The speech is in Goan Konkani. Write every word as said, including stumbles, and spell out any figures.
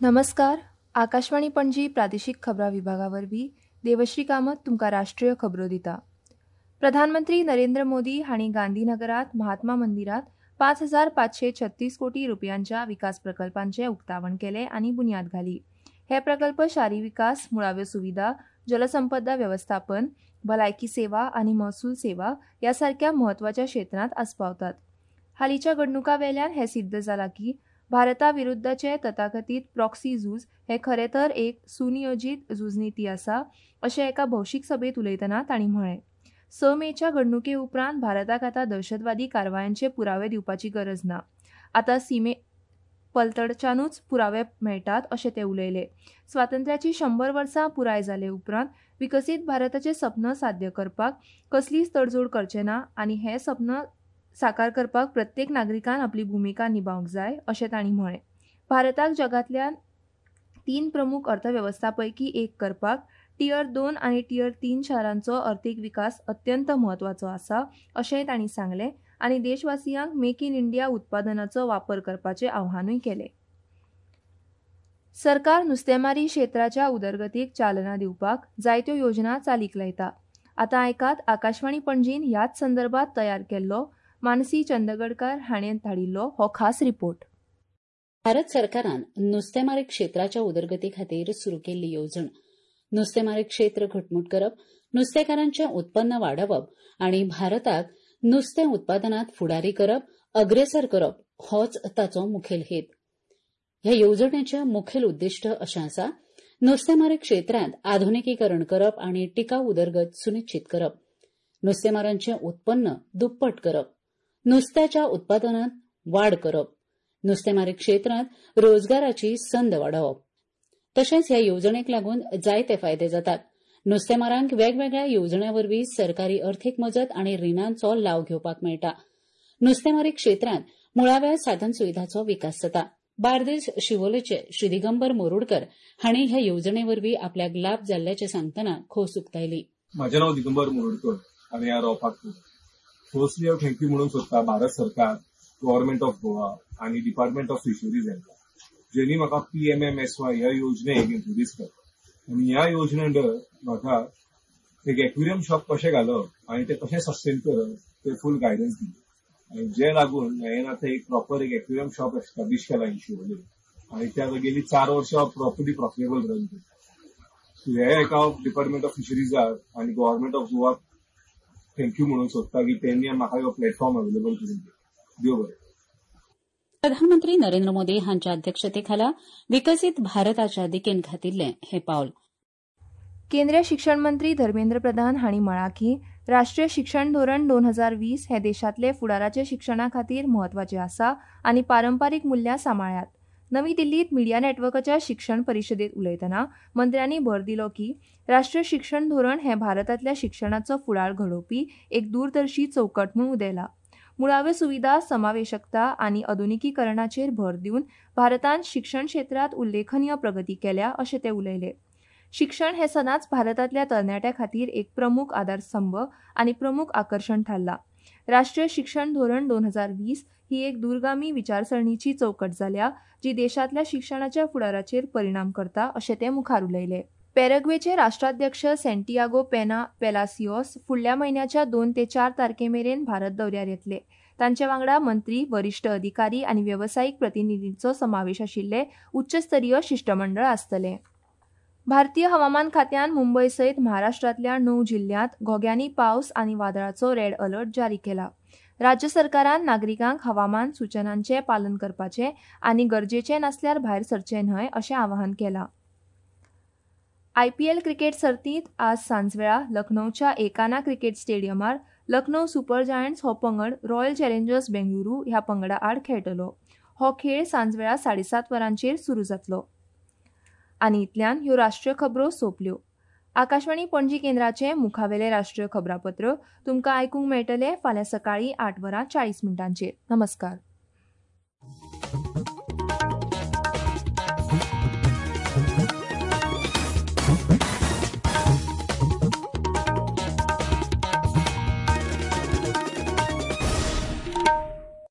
नमस्कार, आकाशवाणी पणजी प्रादेशीक खबरां विभागा वरवीं देवश्री कामत तुमकां राष्ट्रीय खबरो दिता. प्रधानमंत्री नरेंद्र मोदी हांणी गांधीनगरात महात्मा मंदिरात पांच हजार पांचशे छत्तीस कोटी रुपयांच्या विकास प्रकल्पांचें उक्तावण केलें आनी बुन्याद घाली. हे प्रकल्प शारी विकास, मुळाव्यो सुविधा, जलसंपदा वेवस्थापन, भलायकी सेवा आनी महसूल सेवा ह्या सारक्या म्हत्वाच्या क्षेत्रांत आस्पावतात. हालींच्या घडणुकां वेल्यान हें सिद्ध जालां की भारता विरुद्धचे तथाकथीत प्रॉक्सी झूज हें खरें तर एक सुनियोजीत झुजनिती आसा अशें एका भौशीक सभेंत उलयतना तांणी म्हळें. स मेच्या घडणुके उपरांत भारताक आतां दहशतवादी कारवायांचे पुरावे दिवपाची गरज ना, आतां सीमे पलतडच्यानूच पुरावे मेळटात अशें ते उलयले. स्वातंत्र्याची शंबर वर्सां पुराय जाले उपरांत विकसीत भारताचें सपन साध्य करपाक कसलीच तडजोड करचे ना आनी हें सपन साकार करपाक प्रत्येक नागरिकान आपली भुमिका निभावंक जाय अशें तांणी म्हळें. भारताक जगांतल्या तीन प्रमुख अर्थवेवस्था पैकी एक करपाक टियर दोन आनी टियर तीन शारांचो अर्थीक विकास अत्यंत म्हत्वाचो आसा अशेंय तांणी सांगलें आनी देशवासियांक मेक इन इंडिया उत्पादनाचो वापर करपाचें आव्हानूय केलें. सरकार नुस्तेमारी क्षेत्राच्या उदरगतीक चालना दिवपाक जायत्यो योजना चालीक लायता. आतां आयकात आकाशवाणी पणजीन ह्याच संदर्भात तयार केल्लो मानसी चंदगडकर हाणें धाडिल्लो हो खास रिपोर्ट. भारत सरकारान नुस्तेमारी क्षेत्राच्या उदरगती खातीर सुरू केल्ली येवजण नुस्तेमारी क्षेत्र घटमूट करप, नुस्तेकारांचें उत्पन्न वाडोवप आनी भारताक नुस्तें उत्पादनात फुडारी करप, अग्रेसर करप होच ताचो मुखेल हेत. ह्या येवजणेचें मुखेल उद्दिश्ट अशें आसा, नुस्तेमारी क्षेत्रांत आधुनिकीकरण करप आनी टिकाऊ उदरगत सुनिश्चित करप, नुस्तेमारांचें उत्पन्न दुप्पट करप, नुस्त्याच्या उत्पादनात वाड करप, नुस्तेमारी क्षेत्रांत रोजगाराची संद वाडोवप. तशेंच ह्या येवजणेक लागून जायते फायदे जातात. नुस्तेमारांक वेगवेगळ्या येवजण्यां वरवीं सरकारी अर्थीक मजत आनी रिणांचो लाव घेवपाक मेळटा. नुस्तेमारी क्षेत्रांत मुळाव्या साधन सुविधाचो विकास जाता. बार्देस शिवोलेचे श्री दिगंबर मोरुडकर हांणी ह्या येवजणे वरवीं आपल्याक लाब जाल्ल्याचें सांगतना खोस उक्तायली. म्हजें नांव दिगंबर मोरुडकर आनी हांव रावपाक फर्स्टली हांव thank you म्हणूंक सोदता भारत सरकार, गव्हर्नमेंट ऑफ गोवा आनी डिपार्टमेंट ऑफ फिशरीज हांकां, जेणी म्हाका P M M S Y ह्या योजनेक इंट्रोड्यूस केलो आनी ह्या योजने अंडर म्हाका एक एक्वेरियम शॉप कशें घालप आनी तें कशें सस्टेन करप ते फूल गायडन्स दिली आनी जे लागून हांवें आतां एक प्रॉपर एक एक्वेरियम शॉप एस्टाब्लीश केला इन शिवोले आनी ते आतां गेली चार वर्सां हांव प्रॉपरली प्रॉफिटेबल रन करता. सो हे एका हांव डिपार्टमेंट ऑफ फिशरीजाक आनी गव्हर्नमेंट ऑफ गोवाक thank you म्हणूंक सोदता की तेंणी म्हाका हो प्लॅटफॉर्म अवेलेबल करून दिलो. देव बरें. प्रधानमंत्री नरेंद्र मोदी हांच्या अध्यक्षतेखाला विकसीत भारताच्या दिकेन घातिल्लें हें पावल. केंद्रीय शिक्षण मंत्री धर्मेंद्र प्रधान हांणी म्हळां की राष्ट्रीय शिक्षण धोरण दोन हजार वीस हें देशांतले फुडाराचे शिक्षणा खातीर म्हत्वाचें आसा आनी पारंपारीक मुल्यां सांबाळ्यात. नवी दिल्लीत मिडिया नेटवर्काच्या शिक्षण परिशदेत उलयतना मंत्र्यांनी भर दिलो की राष्ट्रीय शिक्षण धोरण हें भारतांतल्या शिक्षणाचो फुडार घडोवपी एक दूरदर्शी चौकट म्हूण उदेला. मुळाव्यो सुविधा, समावेशकता आनी आधुनिकीकरणाचेर भर दिवन भारतान शिक्षण क्षेत्रांत उल्लेखनीय प्रगती केल्या अशें ते उलयले. शिक्षण हें सदांच भारतांतल्या तरणाट्यां खातीर एक प्रमुख आधारस्तंभ आनी प्रमुख आकर्शण थारलां. राष्ट्रीय शिक्षण धोरण दोन हजार वीस ही एक दूरगामी विचारसरणीची चौकट जाल्या जी देशांतल्या शिक्षणाच्या फुडाराचेर परिणाम करता अशें ते मुखार उलयले. पॅराग्वेचे राष्ट्राध्यक्ष सेंटियागो पेना पेलासियोस फुडल्या म्हयन्याच्या दोन ते चार तारखे मेरेन भारत दौऱ्यार येतले. तांचे वांगडा मंत्री, वरिश्ठ अधिकारी आनी वेवसायीक प्रतिनिधींचो समावेश आशिल्ले उच्चस्तरीय शिश्टमंडळ आसतलें. भारतीय हवामान खात्यान मुंबय सयत महाराष्ट्रांतल्या णव जिल्ल्यांत घोग्यांनी पावस आनी वादळाचो रेड अलर्ट जारी केला. राज्य सरकारान नागरिकांक हवामान सूचनांचें पालन करपाचें आनी गरजेचें नासल्यार भायर सरचें न्हय अशें आवाहन केलां. आयपीएल क्रिकेट सर्तींत आज सांजवेळा लखनौच्या एकाना क्रिकेट स्टेडियमार लखनौ सुपर जायंट्स हो पंगड रॉयल चॅलेंजर्स बेंगळुरू ह्या पंगडा आड खेळटलो. हो खेळ सांजवेळा साडेसात वरांचेर सुरू जातलो. आनी इतल्यान ह्यो राष्ट्रीय खबरो सोंपल्यो. आकाशवाणी पणजी केंद्राचें मुखावेलें राष्ट्रीय खबरापत्र तुमकां आयकूंक मेळटलें फाल्यां सकाळीं आठ वरां चाळीस मिनटांचेर. नमस्कार.